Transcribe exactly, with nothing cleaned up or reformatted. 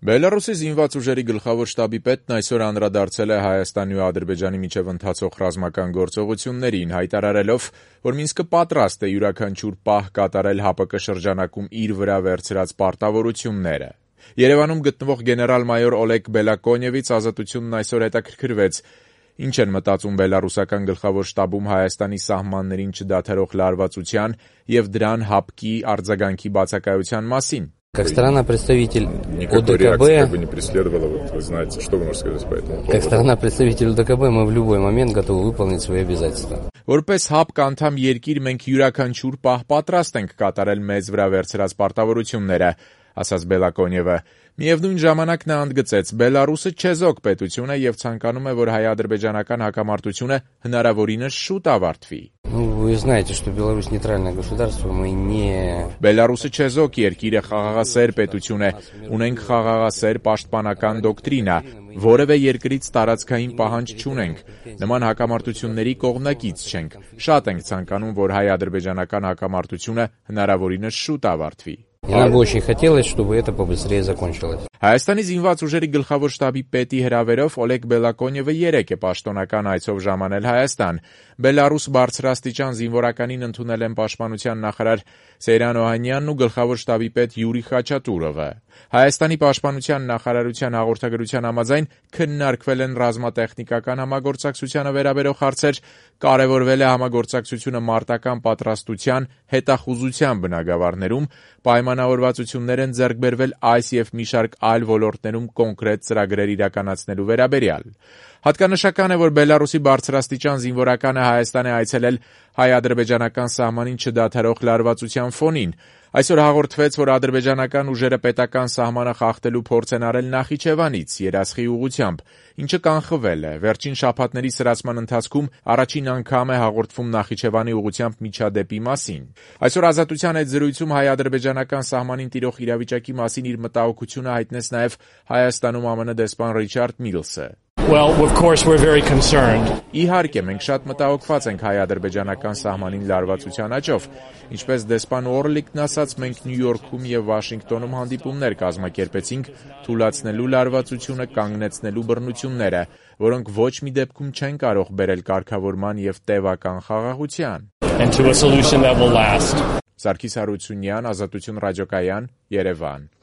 Բելառուսի զինված ուժերի գլխավոր շտաբի պետն այսօր անդրադարձել է Հայաստանի ու Ադրբեջանի միջև ընթացող ռազմական գործողություններին, հայտարարելով, որ Մինսկը պատրաստ է յուրաքանչյուր պահ կատարել ՀԱՊԿ շրջանակում իր վրա վերցրած պարտավորությունները։ Երևանում գտնվող գեներալ-մայոր Օլեգ Բելակոնևից Ազատությունն այսօր հետաքրքրվեց, ինչ են մտածում բելառուսական գլխավոր շտաբում Հայաստանի սահմաններին չդադարող լարվածության և դրան ՀԱՊԿ-ի արձագանքի բացակայության մասին։ Как страна-представитель Никакой ОДКБ, реакции как бы не преследовала, вот вы знаете, что вы можете сказать по этому поводу? как страна-представитель ОДКБ, мы в любой момент готовы выполнить свои обязательства. Որպես ՀԱՊԿ անդամ երկիր մենք յուրաքանչյուր պահ պատրաստ ենք կատարել մեզ վրա վերցրած պարտավորությունները, ասաց Բելակոնևը։ Միևնույն ժամանակ նա ընդգծեց, Բելառուսը չեզոք պետություն է և ցանկանում է, որ հայ-ադրբեջանական հակամարտությունը հնարավորինս շուտ ավարտվի։ Ну, вы знаете, что Беларусь нейтральное государство, мы не... Բելառուսը չեզոք երկիր է, խաղաղասեր պետություն է, ունենք խաղաղասեր պաշտպանական դոկտրինա, որևէ երկրից տարածքային պահանջ չունենք, նման հակամարտությունների կողմնակից չենք, շատ ենք ցանկանում, որ հայ-ադրբեջանական հակամարտությունը հնարավորինս շուտ ավարտվի։ И нам бы очень хотелось, чтобы это побыстрее закончилось. Հայաստանի զինված ուժերի գլխավոր շտաբի պետի հրավերով Օլեգ Բելակոնևը երեկ է պաշտոնական այցով ժամանել Հայաստան։ Բելառուս բարձրաստիճան զինվորականին ընդունել են պաշտպանության նախարար Սեյրան Օհանյանն ու գլխավոր շտաբի պետ Յուրի Խաչատուրովը։ Հայաստանի պաշտպանության նախարարության հաղորդագրության համաձայն քննարկվել են ռազմատեխնիկական համագործակցությանը վերաբերող հարցեր, կարևորվել է համագործակցությունը մարտական պատրաստության, հետախուզության բնագավառներում, պայմանավորվածություններ են ձեռք բերվել այս և մի շարք այլ ոլորտներում կոնկրետ ծրագրեր իրականացնելու վերաբերյալ։ Հատկանշական է, որ Բելառուսի բարձրաստիճան զինվորականը Հայաստան է այցելել հայ-ադրբեջանական սահմանին չդադարող լարվածության ֆոնին։ Այսօր հաղորդվեց, որ ադրբեջանական ուժերը պետական սահմանը խախտելու փորձ են արել Նախիջևանից, Երասխի ուղղությամբ, ինչը կանխվել է։ Վերջին շաբաթների սրացման ընթացքում առաջին անգամ է հաղորդվում Նախիջևանի ուղղությամբ միջադեպի մասին։ Այսօր Ազատության հետ զրույցում հայ-ադրբեջանական սահմանին տիրող իրավիճակի մասին իր մտահոգությունը հայտնեց նաև Հայաստանում ԱՄՆ դեսպան Ռիչարդ Միլսը։ Well, of course we're very concerned. Իհարկե, մենք շատ մտահոգված ենք հայ-ադրբեջանական սահմանին լարվածության աճով։ Ինչպես դեսպան Օրլիկն ասաց, մենք Նյու Յորքում և Վաշինգտոնում հանդիպումներ կազմակերպեցինք թույլատնելու լարվածությունը, կանգնեցնելու բռնությունները, որոնք ոչ մի դեպքում չեն կարող բերել կարգավորման և տևական խաղաղության։ And to a solution that will last. Սարգիս Հարությունյան, Ազատություն ռադիոկայան, Երևան։